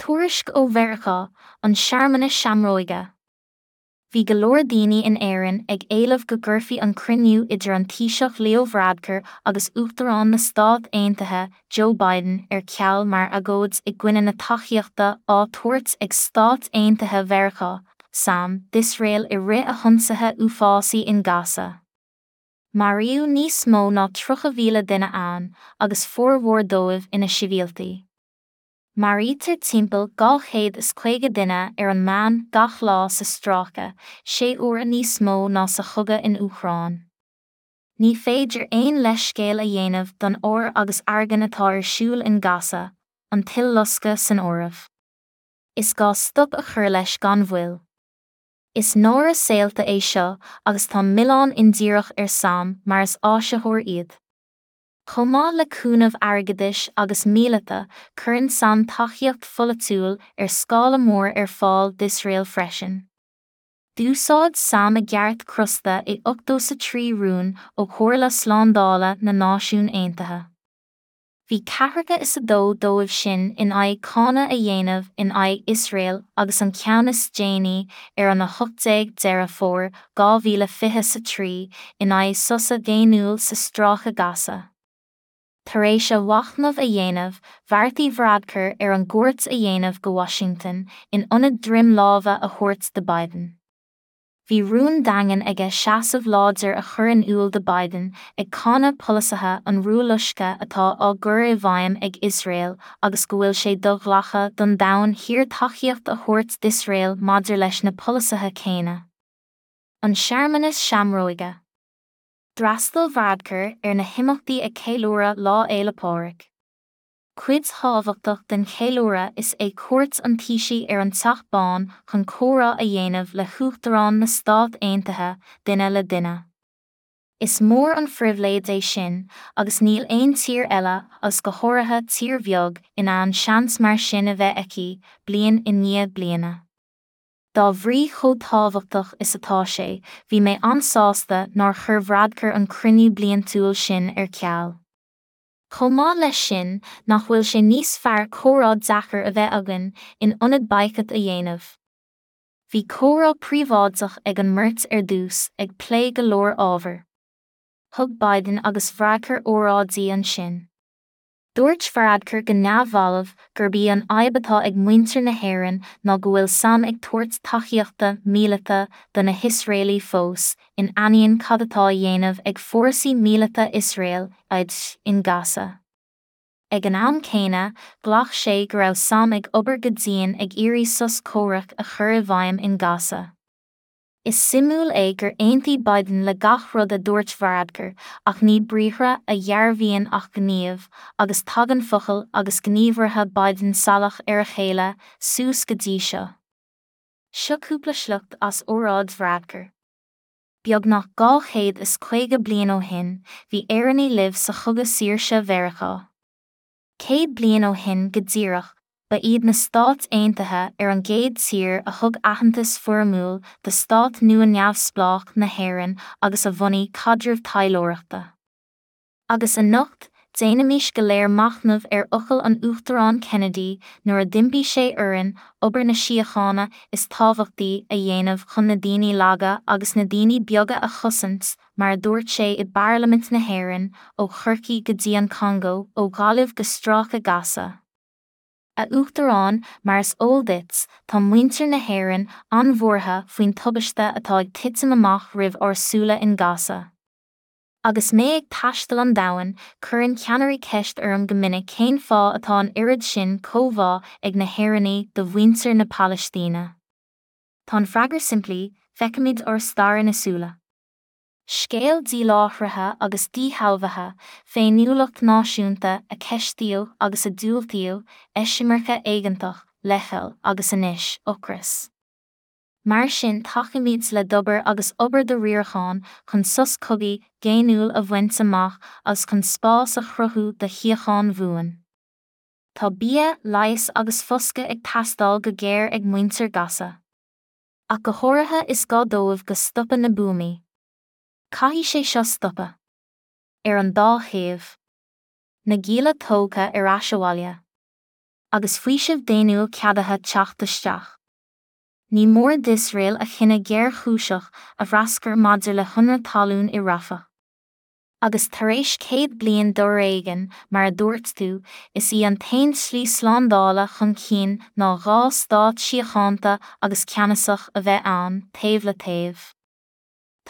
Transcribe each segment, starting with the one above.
Tuairisc ó Mheiriceá, An Searmanas Seamróige. Bhí go leor daoine in Éirinn ag éileamh go gcuirfí an cruinniú idir an Taoiseach Leo Varadkar agus Uachtarán na Stát Aontaithe Joe Biden ar ceal mar agóid i gcoinne na tacaíochta á tabhairt ag Stáit Aontaithe Mheiriceá, sam, d'Iosrael i rith a hionsaithe uafásaí in Gaza. Maraíodh níos mó ná 30,000 duine ann, agus formhór dóibh ina sibhialtaigh. Maraítear timpeall 250 duine ar an meán gach lá sa stráice, sé huaire níos mó ná sa chogadh in Úcráin. Ní féidir aon leithscéal a dhéanamh don ár agus argain atá ar siúl in Gaza, an t-uileloscadh san áireamh. Is gá stop a chur leis gan mhoill. Is náire saolta é seo agus tá milleán indíreach ar sam mar is áisitheoir iad. Chomh maith le cúnamh airgeadais agus míleata, cuireann sam tacaíocht pholaitiúil ar scála mór ar fáil d'Iosrael freisin. D'úsáid sam a gceart crosta i 83 rún ó Chomhairle Slándála na Náisiún Aontaithe. Bhí ceathracha is a dó dóibh sin in aghaidh cáineadh a dhéanamh in aghaidh Iosrael agus an ceann is déanaí ar an 18 Deireadh Fómhair 2023 in aghaidh sosa daonnúil sa Stráice Gaza. Tar éis a mhachnamh a dhéanamh, bheartaigh Varadkar ar an gcuairt a dhéanamh go Washington in ionad droim láimhe a thabhairt do Biden. Bhí rún daingean aige seasamh láidir a chur in iúl do Biden ag cáineadh polasaithe an rualoiscthe atá á gcur i bhfeidhm ag Iosrael agus go bhfuil sé do-ghlactha don domhan thiar tacaíocht a thabhairt d'Iosrael maidir leis na polasaithe céanna. An Searmanas Seamróige. D'fhreastail Varadkar ar na himeachtaí ag ceiliúradh Lá Fhéile Pádraig. Cuid thábhachtach den cheiliúradh is ea cuairt an Taoisigh ar an Teach Bán chun comhrá a dhéanamh le hUachtarán na Stát Aontaithe, duine le duine. Is mór an phribhléid é sin agus níl aon tír eile, agus go háirithe tír bheag, in ann seans mar sin a bheith aici, bliain i ndiaidh bliana. Dá bhrí chomh tábhachtach is atá sé, bhí mé an-sásta nár chuir Varadkar an cruinniú bliantúil sin ar ceal. Chomh maith leis sin, nach bhfuil sé níos fearr comhrá deacair a bheith againn in ionad baghcat a dhéanamh? Bhí comhrá príobháideach ag an mbeirt ar dtús, ag plé go leor ábhar. Thug Biden agus Varadkar óráidí ansin. Dúirt Varadkar go neamhbhalbh gurb í an fhadhb atá ag muintir na hÉireann ná go bhfuil sam ag tabhairt tacaíochta míleata do na hIosraelaigh fós, in ainneoin cad atá á dhéanamh ag fórsaí míleata Iosrael, IDF, in Gaza. Ag an am céanna, ghlac sé go raibh sam ag obair go dian ag iarraidh sos comhraic a chur i bhfeidhm in Gaza. Is suimiúil é gur aontaigh Biden le gach rud a dúirt Varadkar, ach ní briathra a dhearbhaíonn ach gníomh, agus tagann focail agus gníomhartha Biden salach ar a chéile, suas go dtí seo. Seo cúpla sliocht as óráid Varadkar. Beagnach 250 bliain ó shin, bhí Éireannaigh libh sa Chogadh Saoirse Mheiriceá. 100 bliain ó shin go díreach, ba iad na Stáit Aontaithe ar an gcéad tír a thug aitheantas foirmiúil do stát nua neamhspleách na hÉireann agus a bhunaigh caidreamh taidhleoireachta. Agus anocht, déanaimis go léir machnamh ar fhocail an Uachtaráin Kennedy nuair a d'impigh sé orainn obair na síochána is tábhachtaí a dhéanamh chun na daoine laga agus na daoine beaga a chosaint, mar a dúirt sé i bParlaimint na hÉireann, ó Chorcaigh go dtí an Congó, ó Ghaillimh go Stráice Gaza. A Uachtaráin, mar is eol duit, tá muintir na hÉireann an-bhuartha faoin tubaiste atá ag titim amach roimh ár súile in Gaza. Agus mé ag taisteal an domhain, cuireann ceannairí ceist orm go minic cén fáth atá an oiread sin comhbhá ag na hÉireannaigh do mhuintir na Palaistíne. Tá an freagra simplí, feicimid ár stair ina súile. Scéal díláithrithe agus díshealbhaithe, féiniúlacht náisiúnta a ceistíodh agus a diúltaíodh, eisimirce éigeantach, leithcheal, agus anois, ocras. Mar sin tacaímid le d'obair agus obair do riaracháin chun sos cogaidh daonnúil a bhaint amach agus chun spás a chruthú do shíocháin bhuan. Tá bia, leigheas agus foscadh ag teastáil go géar ag muintir Gaza. Ach go háirithe is gá dóibh go stopadh na buamaí. Caithfidh sé seo stopadh. Ar an dá thaobh. Na gialla tógtha ar ais abhaile. Agus faoiseamh daonnúil ceadaithe teacht isteach. Ní mór d'Iosrael a chinneadh géarchúiseach a threascairt maidir le hionradh talún i Rafah. Agus tar éis 100 bliain d'fhoréigean, mar a dúirt tú, is í an t-aon tslí slándála chun cinn ná dhá stát síochánta agus ceannasach a bheith ann, taobh le taobh.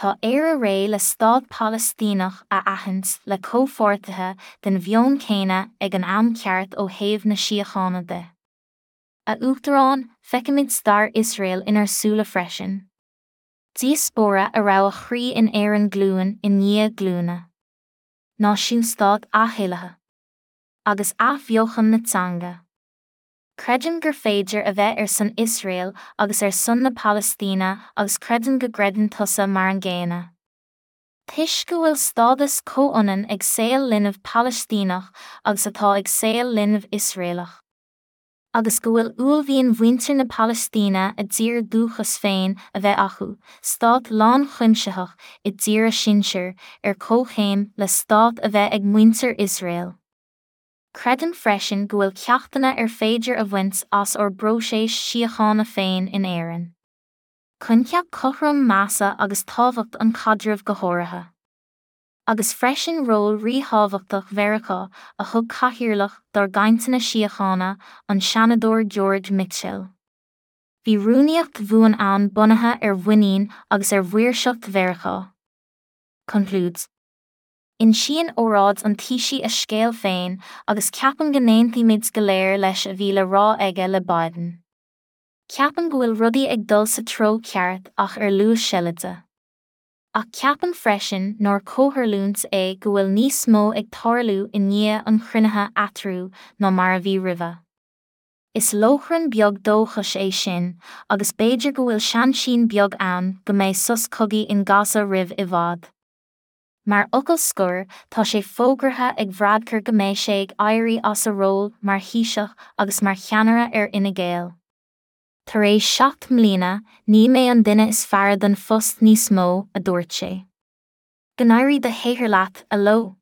Tá Éire réidh le stát Palaistíneach a aithint le comhpháirtithe den mheon céanna ag an am ceart ó thaobh na síochána de. A Uachtaráin, feicimid stair Iosrael inár súile freisin. Diaspóra a raibh a chroí in Éirinn glúin i ndiaidh glúine. Náisiúnstát athshaolaithe. Agus athbheochan na teanga. Creidim gur féidir a bheith ar son Iosrael agus ar son na Palaistíne agus creidim go gcreideann tusa mar an gcéanna. Toisc go bhfuil stádas comhionann ag saol linbh Palaistíneach agus atá ag saol linbh Iosraelach. agus go bhfuil uaillmhian mhuintir na Palaistíne a dtír dúchais féin a bheith acu, stát lánchuimsitheach i dtír a sinsear, ar comhchéim le stát a bheith ag muintir Iosrael. Creidim freisin go bhfuil ceachtanna ar féidir a bhaint as ár bpróiseas síochána féin in Éirinn. Coincheap cothrom measa agus tábhacht an chaidrimh go háirithe. Agus freisin ról ríthábhachtach Mheiriceá a thug cathaoirleach dár gcainteanna síochána, an Seanadóir George Mitchell. Bhí rúnaíocht bhuan ann bunaithe ar mhuinín agus ar mhaoirseacht Mheiriceá. Concludes. Insíonn óráid an Taoisigh a scéal féin agus ceapaim go n-aontaímid go léir leis a bhí le rá aige le Biden. Ceapaim go bhfuil rudaí ag dul sa treo ceart ach ar luas seilide. Ach ceapaim freisin nár comhtharlúint é go bhfuil níos mó ag tarlú i ndiaidh an chruinnithe eatarthu ná mar a bhí roimhe. Is lóchrann beag dóchais é sin agus b'fhéidir go bhfuil seansín beag ann go mbeidh sos cogaidh in Gaza roimh i bhfad. Mar fhocal scoir, tá sé fógartha ag Varadkar go mbeidh sé ag éirí as a ról mar Thaoiseach agus mar cheannaire ar Fhine Gael. Tar éis 7 mbliana, ní mé an duine is fearr don phost níos mó, a dúirt sé. Go n-éirí do shaothar leat, a Leo!